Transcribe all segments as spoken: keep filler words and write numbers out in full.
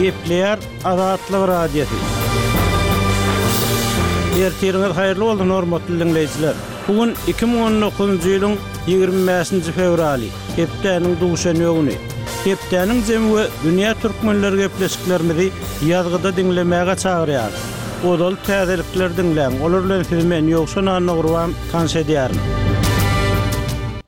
Gepleýär Azatlyk Radiosy. Ertiriňiz haýyrly bolsun hormatly diňleýjiler. Bu gün iki müň on dokuzynjy ýylyň ýigrimi bäşinji fewraly, hepdäniň duşenbe güni. Hepdäniň jemi we dünýä türkmenleri gepleşiklerimizi ýazgyda diňlemäge çagyrýarys. Ozal täzelikleri diňläň, olar bilen sizi men Ýowşan Annagurban tanyş edýärin.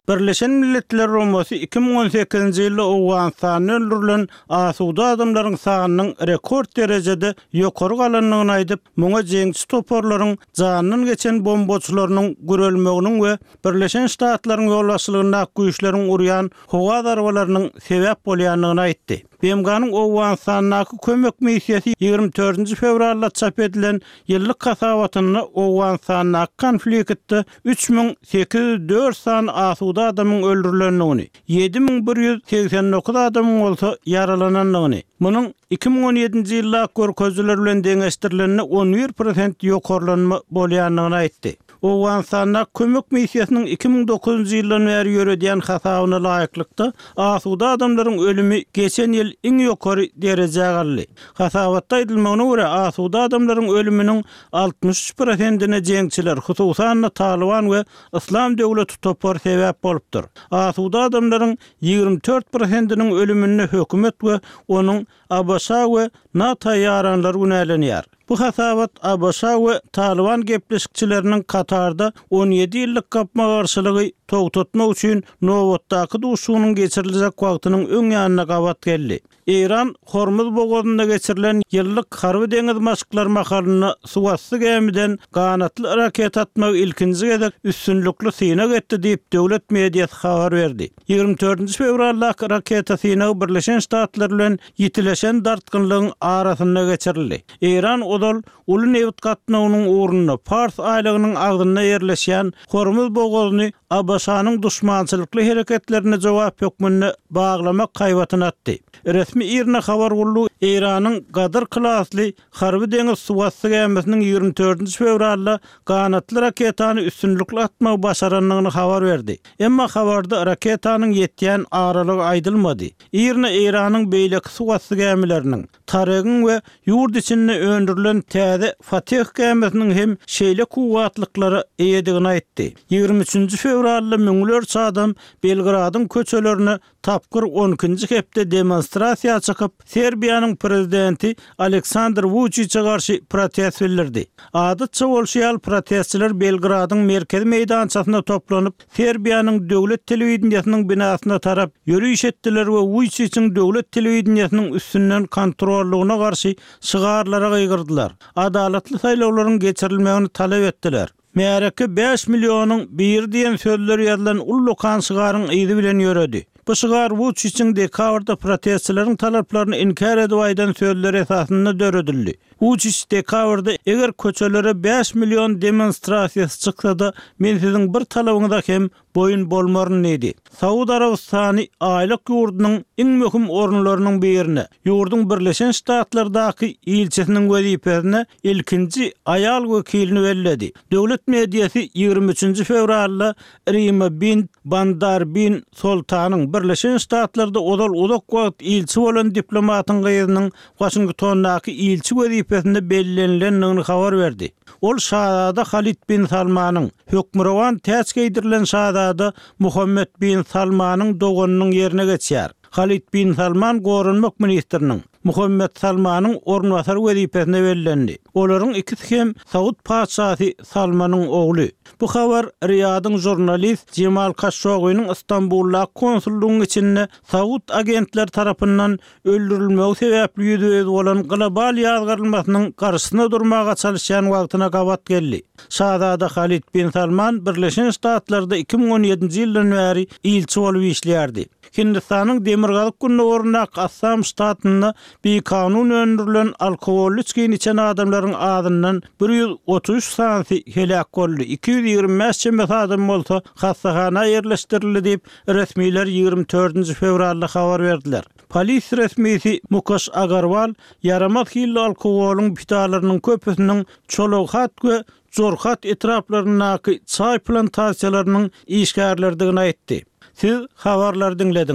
Birleşen Milletler Guramasy iki müň on sekizinji ýylda Owganystanda öldürilen asuda adamlaryň sanynyň rekord derejede ýokary galandygyny aýdyp, muňa jeňçi toparlaryň jandan geçen bombaçylarynyň gürelmeginiň we Birleşen Ştatlaryň ýolbaşçylygyndaky güýçleriň urýan howa zarbalarynyň sebäp bolýandygyny aýtdy. B M G-nyň Owganystandaky kömek missiýasy ýigrimi dördünji fewralda çap edilen ýyllyk hasabatynda Owganystandaky konfliktde üç müň sekiz ýüz dört sany asuda adamyň öldürilendigini, ýedi müň bir ýüz segsen dokuz adamyň bolsa ýaralanandygyny, munuň iki müň on ýedinji ýyldaky görkezijiler bilen deňeşdirilende on bir prosent ýokarlanma bolýandygyny aýtdy. Owganystanda kömek missiýasynyň iki müň dokuzynjy ýyldan bäri ýöredýän hasabyna laýyklykda asuda adamlaryň ölümi geçen ýyl iň ýokary derejä galdy. Hasabatda aýdylmagyna görä asuda adamlaryň ölüminiň altmyş üç prosentine jeňçiler, hususan-da Taliban we Islam döwleti topary sebäp bolupdyr. Asuda adamlaryň ýigrimi dört prosentiniň ölüminde hökümet we onuň A B Ş we NATO ýaranlary günälenýär. Bu hasabat A B Ş we Taliban gepleşikçileriniň Katarda on ýedi ýyllyk gapma-garşylygy togtatmak üçin nobatdaky duşuşygynyň geçiriljek wagtynyň öň ýanyna gabat geldi. Eýran Hormuz bogazynda geçirilen ýyllyk harby deňiz maşklary mahalynda suwasty gämiden ganatly raket atmagy ilkinji gezek üstünlikli synag etdi diýip döwlet mediasy habar berdi. Ýigrimi dördünji fewraldaky raketa synagy Birleşen Ştatlar bilen ýitileşen dartgynlygyň arasynda geçirildi. Eýran ozal uly nebit gatnawynyň ugrunda Pars aýlagynyň agzynda ýerleşýän Hormuz bogazyny A B Ş-nyň duşmançylykly hereketlerine jogap hökmünde baglamak haýbatyny atdy. Resmi IRNA habar gullugy Eýranyň Gadyr klasly harby deňiz suwasty gämisiniň ýigrimi dördünji fewralda ganatly raketany üstünlikli atmagy başarandygyny habar berdi. Emma habarda raketanyň ýetýän aralygy aýdylmady. IRNA Eýranyň beýleki suwasty gämileriniň, Taregiň we ýurt içinde öndürilen täze Fatih gämisiniň hem şeýle kuwwatlyklara eýedigini aýtdy. Ýigrimi üçünji fewralda müňlerçe adam Belgradyň köçelerine tapgyr on ikinji hepde demonstrasiýa çykyp, Serbiýanyň prezidenti Aleksandr Vučiće garşy protest bildirdi. Adatça bolşy ýaly protestçiler Belgradyň merkezi meýdançasynda toplanyp, Serbiýanyň döwlet telewideniýesiniň binasyna tarap ýöriş etdiler we Vučićiň döwlet telewideniýesiniň üstünden kontrollygyna garşy şygarlara gygyrdylar. Adalatly saýlawlaryň geçirilmegini talap etdiler. Märeke bäş millionyň biri diýen sözler ýazylan ullukan şygaryň yzy bilen ýöredi. Bu şygar Vučićiň dekabrda protestçileriň talaplaryny inkär edip aýdan sözler esasynda döredildi. Vučić dekabrda eger köçelere bäş million demonstrasiýasy çyksa-da, men siziň bir talabyňyza hem boýun bolmaryn diýdi. Saud Arabystany aýlyk ýurdunyň iň möhüm orunlarynyň birine, ýurduň Birleşen Ştatlardaky ilçisiniň wezipesine ilkinji aýal wekilini belledi. Döwlet mediasy ýigrimi üçünji fewralda Rima bin Bandar bin Sultanyň Birleşen Ştatlarda ozal uzak wagt ilçi bolan diplomatyň gyzynyň Waşingtondaky ilçi wezipesinde bellenilendigini habar berdi. Ol Şazada Halid bin Salmanyň, hökmürowan täç geýdirilen Şazada Muhammed bin Salmanyň doganynyň ýerine geçýär. Halid bin Salman goranmak ministriniň, Muhammed Salmanyň orunbasary wezipesine bellendi. Olaryň ikisi hem Saud patyşasy Salmanyň ogly. Bu habar Riýadyň jurnalist Jemal Kaşogynyň Istanbuldaky konsullygyň içinde Saud agentler tarapyndan öldürilmegi sebäpli ýüzbe-ýüz bolan global ýazgarylmasynyň garşysyna durmaga çalışýan wagtyna gabat geldi. Şazada Halid bin Salman Birleşen Ştatlarda iki müň on ýedinji ýyldan bäri ilçi bolup işleýärdi. Hindistanyň Demirgazyk gündogaryndaky Assam ştatynda bikanun öndürilen alkogolly içgini içen adamlaryň azyndan bir ýüz otuz üç sanysy heläk boldy, iki ýüz ýigrimi bäş çemesi adam bolsa hassahana ýerleşdirildi diýip, resmiler ýigrimi dördünji fewralda habar berdiler. Polis resmisi Mukesh Agarwal ýaramaz hilli alkogolyň pidalarynyň köpüsiniň Çologhat we Jorhat etraplaryndaky çaý plantasiýalarynyň işgärleridigini aýtdy. Siz habarlary diňlediňiz.